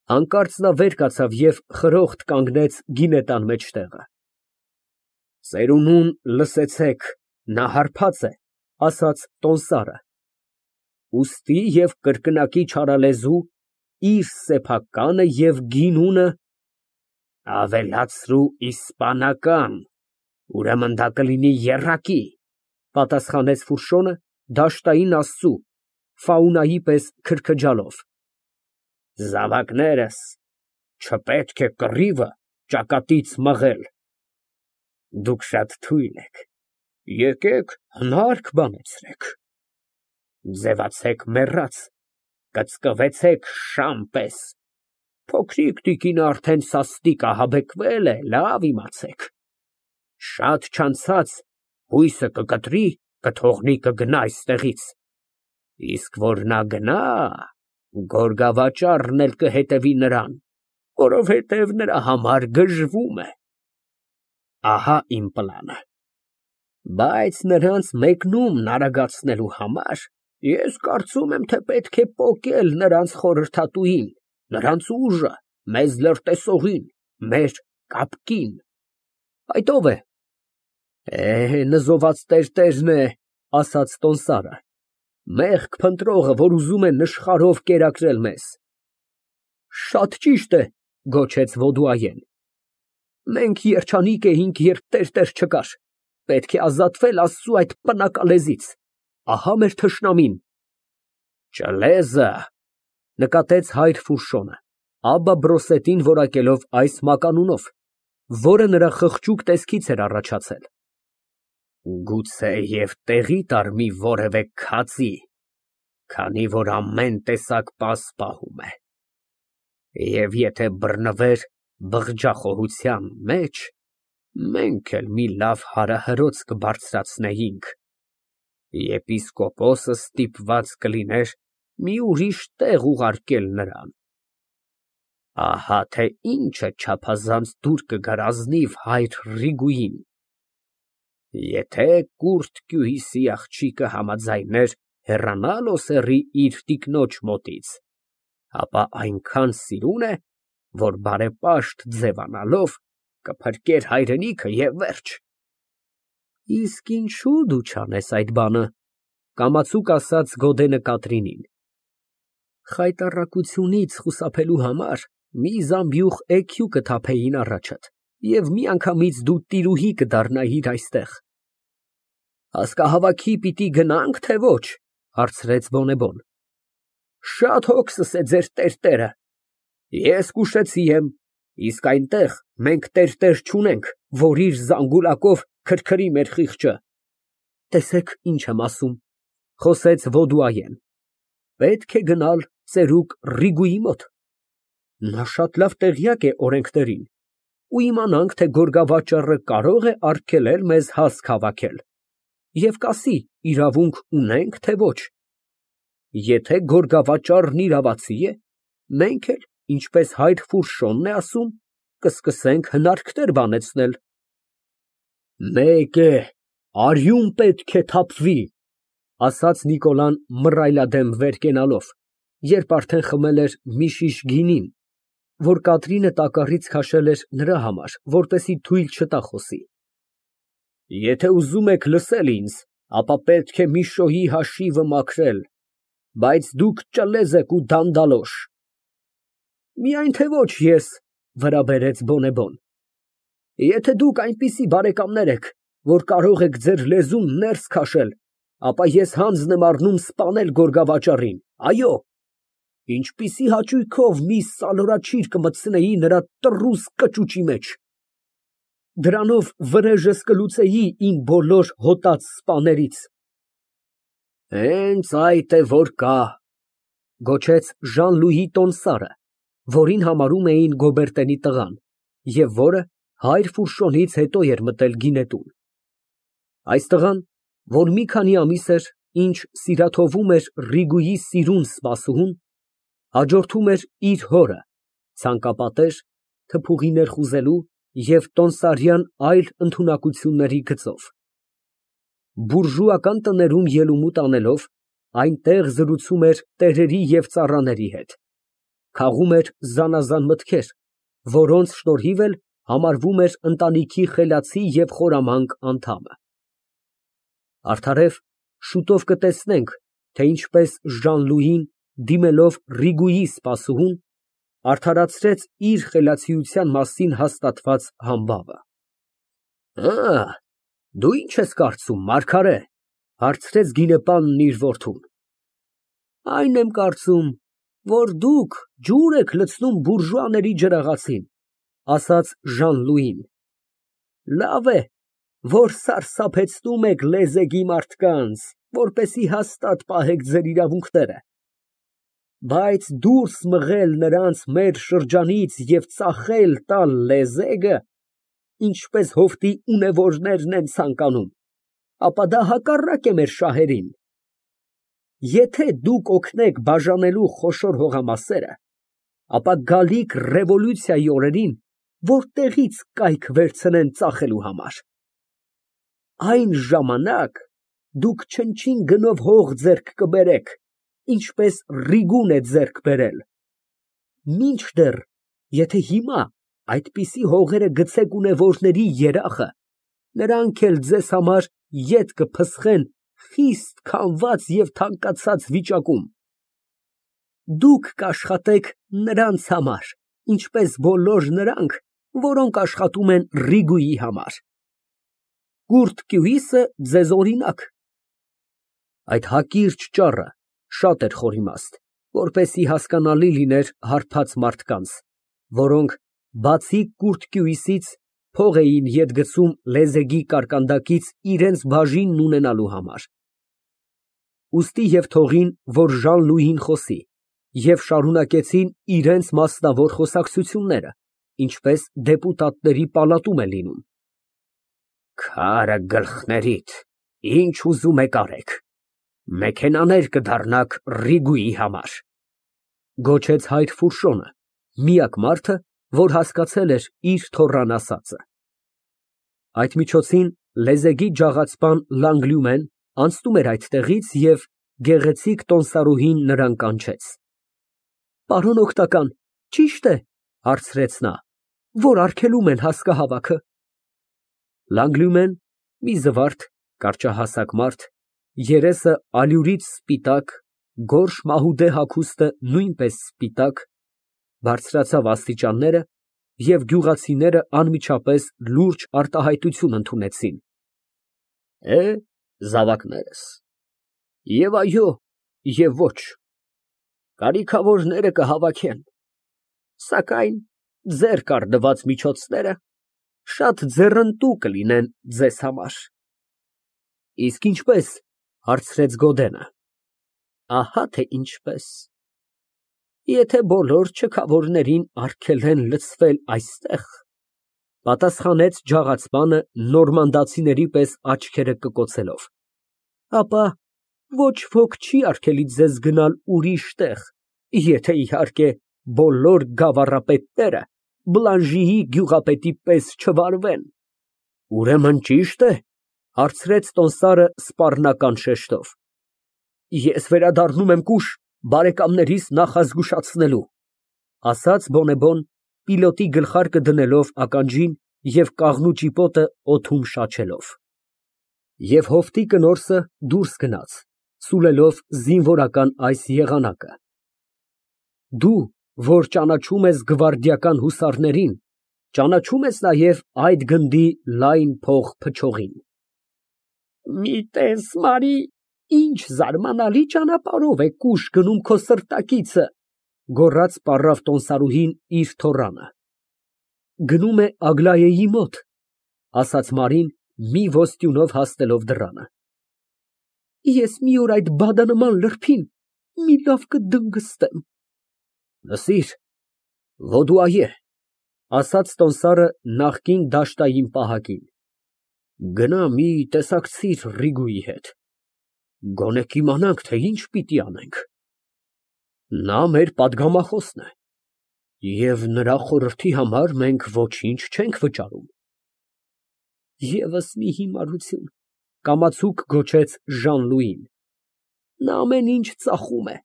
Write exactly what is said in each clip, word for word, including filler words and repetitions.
Հանկարծ նա վեր կացավ և խրոխտ կանգնեց գինետան մեջտեղը։ Ծերունուն լսեցեք, նա հարբած է, ասաց տոմսարը, ուստի և կրկնակի չարալեզու, իր սեփականը և գինունը… Ավելացրու իսպանական, ուրեմն դա կլինի եռակի, պատասխանեց Ֆուշոն դաշտային աստծու, ֆաունայի պես քրքջալով։ Զավակներս, չպետք է կռիվը ճակատից մղել։ Դուք շատ թույլ եք, եկեք հնարք բանեցրեք։ Ձևացեք մեռած, կծկվեցեք շամ պես, փոքրիկ տիկինը արդեն սաստիկ ահաբեկվել է, լավ իմացեք, շատ չանցած հույսը կկտրի, կթողնի կգնա այստեղից, իսկ որ նա գնա, գորգավաճառն էլ կհետևի նրան, որովհետև նրա համար գժվում է։ Ահա իմ պլանը։ Բայց նրանց մեկնումն արագացնելու համար ես կարծում եմ, թե պետք է պոկել նրանց խորհրդատուին, նրանց ուժը, մեզ լրտեսողին, մեր կապկին։ Այդ ո՞վ է։ Է, նզոված տերտերն է, ասաց տոմսարը, մեղք փնտրողը, որ ուզում է նշխարով կերակրել մեզ։ Շատ ճիշտ է, գոչեց Ոդուայեն, մենք երջանիկ էինք, երբ տերտեր չկար, պետք է ազատվել Աստծու այդ պնակալեզից, ահա մեր թշնամին։ Ճլեզը, նկատեց հայր Ֆուշոնը, Աբբա Բրոսետին որակելով այս մականունով, որը նրա խղճուկ տեսքից էր առաջացել։ Գուցեև տեղի տար մի որևէ քածի, քանի որ ամեն տեսակ պաս պահում է, և եթե բռնվեր բղջախոհության մեջ, մենք էլ մի լավ հարահրոց կբարձրացնեինք, եպիսկոպոսը ստիպված կլիներ մի ուրիշ տեղ ուղարկել նրան։ Ահա թե ինչ է չափազանց դուր կգար ազնիվ հայր Ռիգուին, եթե կուրթ Կյուրիսի աղջիկը համաձայներ հեռանալ Օսեռի իր տիկնոջ մոտից, ապա այնքան սիրուն է, որ բարեպաշտ ձևանալով կփրկեր հայրենիքը և վերջ։ Իսկ ինչու դու չանես այդ բանը, կամացուկ ասաց Գոդենը Կատրինին։ Խայտառակությունից խուսափելու համար մի զամբյուղ էգյու կթափեին առաջդ, և միանգամից դու տիրուհի կդառնայիր այստեղ։ Ասկահավաքի պիտի գնա՞նք, թե ոչ, հարցրեց Բոնեբոն։ Շատ հոգսս է ձեր տերտերը։ Ես կուշեցի եմ, իսկ այնտեղ մենք տերտեր չունենք, որ իր զանգուլակով քրքրի մեր խիղճը։ Տեսեք, ինչ եմ ասում, խոսեց Ոդուայեն, պետք է գնալ ծերուկ Ռիգուի մոտ։ Նա շատ լավ տեղյակ է օրենքներին, ու իմանանք, թե գորգավաճառը կարող է արգելել մեզ հասկ հավաքել, և կասի իրավունք ունենք, թե ոչ։ Եթե գորգավաճառն իրավացի է, մենք էլ, ինչպես հայր Ֆուշոնն է ասում, կսկսենք հնարքներ բանեցնել։ Մեկ է, արյուն պետք է թափվի, ասաց Նիկոլան մռայլադեմ վեր կենալով, երբ արդեն խմել էր մի շիշ գինին, որ Կատրինը տակառից քաշել էր նրա համար, որպեսզի թույլ չտա խոսի։ Եթե ուզում եք լսել ինձ, ապա պետք է Միշոյի հաշիվը մաքրել, բայց դուք ճլեզ եք ու դանդալոշ։ Միայն թե ոչ ես, վրա բերեց Բոնեբոն։ Եթե դուք այնպիսի բարեկամներ եք, որ կարող եք ձեր լեզուն ներս քաշել, ապա ես հանձն եմ առնում սպանել գորգավաճառին, այո, ինչպիսի հաճույքով մի սալորաչիր կմտցնեի նրա տռուս կճուճի մեջ, դրանով վրեժս կլուծեի իմ բոլոր հոտած սպաներից։ Հենց այդ է որ կա, գոչեց Ժան֊Լուի տոմսարը, որին համարում էին Գոբերտենի տղան, և որը հայր Ֆուշոնից հետո էր մտել գինետուն։ Այս տղան, որ մի քանի ամիս էր, ինչ սիրաթովում էր Ռիգուի սիրուն սպասուհուն, հաջորդում էր իր հորը, ցանկապատեր, թփուղի ներխուզելու և տոմսարյան այլ ընդունակությունների գծով։ Բուրժուական տներում ելումուտ անելով, այնտեղ զրուցում էր տերերի և ծառաների հետ, Քաղում էր զանազան մտքեր, որոնց շնորհիվ էլ համարվում էր ընտանիքի խելացի և խորամանկ անդամը։ Արդարև, շուտով կտեսնենք, թե ինչպես Ժան֊Լուին, դիմելով Ռիգուի սպասուհուն, արդարացրեց իր խելացիության մասին հաստատված համբավը։ Ա, դու ի՞նչ ես կարծում, մարգարե, հարցրեց գինեպանն իր որդուն։ Այն եմ կարծում, որ դուք ջուր եք լցնում բուրժուաների ջրաղացին, ասաց Ժան֊Լուին։ Լավ է, որ սարսափեցնում եք լեզեգի մարդկանց, որպեսզի հաստատ պահեք ձեր իրավունքները, բայց դուրս մղել նրանց մեր շրջանից և ծախել տալ լեզեգը, ինչպես հովտի ունևորներն են ցանկանում, ապա դա հակառակ է մեր շահերին։ Եթե դուք օգնեք բաժանելու խոշոր հողամասերը, ապա գալիք ռևոլյուցիայի օրերին որտեղի՞ց կայք վերցնեն ծախելու համար։ Այն ժամանակ դուք չնչին գնով հող ձեռք կբերեք, ինչպես Ռիգուն է ձեռք բերել։ Մինչդեռ, եթե հիմա այդպիսի հողերը գցեք ունևորների երախը, նրանք էլ ձեզ համար ետ կփսխեն խիստ քամված և թանկացած վիճակում։ Դուք կաշխատեք նրանց համար, ինչպես բոլոր նրանք, որոնք աշխատում են Ռիգուի համար։ Կուրթ կյուիսը ձեզ օրինակ։ Այդ հակիրճ ճառը շատ էր խորիմաստ, որպեսզի հասկանալի լիներ հարբած մարդկանց, որոնք, բացի կուրթ կյուիսից, փող էին ետ գցում լեզեգի կարկանդակից իրենց բաժինն ունենալու համար։ Ուստի և թողին, որ Ժան֊Լուին խոսի, և շարունակեցին իրենց մասնավոր խոսակցությունները, ինչպես դեպուտատների պալատում է լինում։ Քարը գլխներիդ, ինչ ուզում եք արեք, մեքենաներ կդառնաք Ռիգուի համար, գոչեց հայր Ֆուրշոնը, միակ մարդը, որ հասկացել էր իր թոռան ասածը։ Այդ միջոցին լեզեգի ջաղացպան Լանգլյումեն անցնում էր այդտեղից և գեղեցիկ տոմսարուհին նրան կանչեց։ Պարոն օգնական, ճի՞շտ է, հարցրեց նա, որ արգելում են հասկահավաքը։ Լանգլյումեն, մի զվարթ, կարճահասակ մարդ, երեսը ալյուրից սպիտակ, գորշ մահուդե հագուստը նույնպես սպիտակ, բարձրացավ աստիճանները, և գյուղացիները անմիջապես լուրջ արտահայտություն ընդունեցին։ Է, զավակներս, և այո, և ոչ, կարիքավորները կհավաքեն, սակայն ձեռք առնված միջոցները շատ ձեռնտու կլինեն ձեզ համար։ Իսկ ինչպե՞ս, հարցրեց Գոդենը։ Ահա թե ինչպես։ Եթե բոլոր չքավորներին արգելեն լցվել այստեղ, պատասխանեց ջաղացպանը նորմանդացիների պես աչքերը կկոցելով, ապա ոչ ոք չի արգելի ձեզ գնալ ուրիշ տեղ, եթե, իհարկե, բոլոր գավառապետները Բլանժիի գյուղապետի պես չվարվեն։ Ուրեմն ճի՞շտ է, հարցրեց տոմսարը սպառնական շեշտով։ Ես վերադառնում եմ կուշ բարեկամներիս նախազգուշացնելու, ասաց բոնեբոն, պիլոտի գլխարկը դնելով ականջին և կաղնու ճիպոտը օդում շաչելով։ Եվ հովտի կնորսը դուրս գնաց, սուլելով զինվորական այս եղանակը. Դու, որ ճանաչում ես գվարդիական հուսարներին, ճանաչո՞ւմ ես նաև այդ գնդի լայն փող փչողին։ Մի տես, Մարի, ինչ զարմանալի ճանապարհով է կուշ գնում քո սրտակիցը, գոռաց պառավ տոմսարուհին իր թոռանը։ Գնում է Ագլայեի մոտ, ասաց Մարին, մի ոսტյունով հասնելով դռանը։ Ես մի օր այդ բադանման լրբին մի լավ կդնգստեմ։ Լսիր, Վոդուայե, ասաց տոմսարը նախկին դաշտային պահակին, գնա մի տեսակցիր Ռիգուի հետ, գոնե կիմանանք, թե ինչ պիտի անենք։ Նա մեր պատգամախոսն է, և նրա խորհրդի համար մենք ոչինչ չենք վճարում։ Եվս մի հիմարություն, կամացուկ գոչեց Ժան֊Լուին, նա ամեն ինչ ծախում է։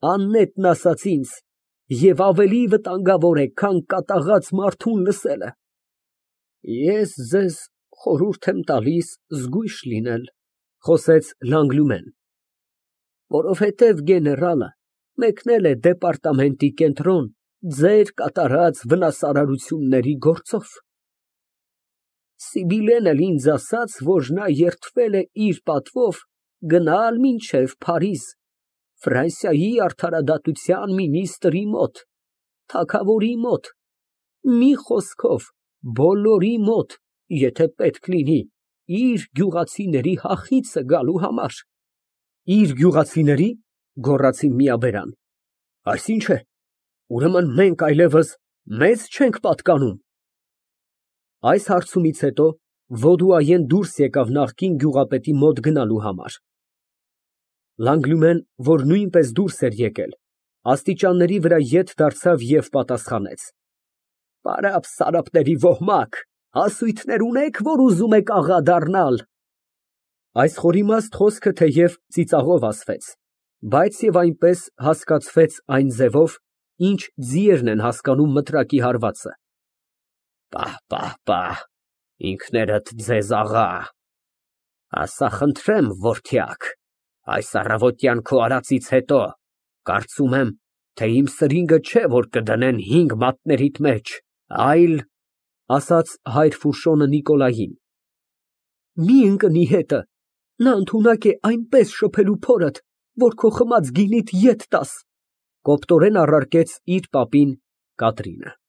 Աննետն ասաց ինձ, և ավելի վտանգավոր է, քան կատաղած մարդուն լսելը։ Ես ձեզ խորհուրդ եմ տալիս զգույշ լինել, խոսեց Լանգլումեն, որովհետև գեներալը մեկնել է դեպարտամենտի կենտրոն ձեր կատարած վնասարարությունների գործով։ Սիբիլեն էլ ինձ ասաց, որ նա երդվել է իր պատվով գնալ մինչև Փարիզ, Ֆրանսիայի արդարադատության մինիստրի մոտ, թագավորի մոտ, մի խոսքով, բոլորի մոտ, եթե պետք լինի, իր գյուղացիների հախիցը գալու համար։ Իր գյուղացիների՞, գոռացին միաբերան։ Այսինչ է, ուրեմն մենք այլևս մեզ չենք պատկանում։ Այս հարցումից հետո Ոդուայեն դուրս եկավ նախկին գյուղապետի մոտ գնալու համար։ Լանգլումեն, որ նույնպես դուրս էր եկել, աստիճանների վրա ետ դարձավ և պատասխանեց. Պարապ Սարապների ոհմակ, հասույթներ ունե՞ք, որ ուզում եք աղա դառնալ։ Այս խորիմաստ խոսքը թեև ծիծաղով ասվեց, բայց և այնպես հասկացվեց այն ձևով, ինչ ձիերն են հասկանում մտրակի հարվածը։ Պահ, պահ, պահ, ինքներդ ձեզ աղա, ասա խնդրեմ, որդյակ, այս առավոտյան քո արածից հետո, կարծում եմ, թե իմ սրինգը չէ, որ կդնեն հինգ մատներիդ մեջ, այլ… ասաց հայր Ֆուշոնը Նիկոլային, մի ընկնի հետը, նա ընդունակ է այնպես շփելու փորդ, որ քո խմած գինիդ ետ տաս, կոպտորեն առարկեց իր պապին Կատրինը։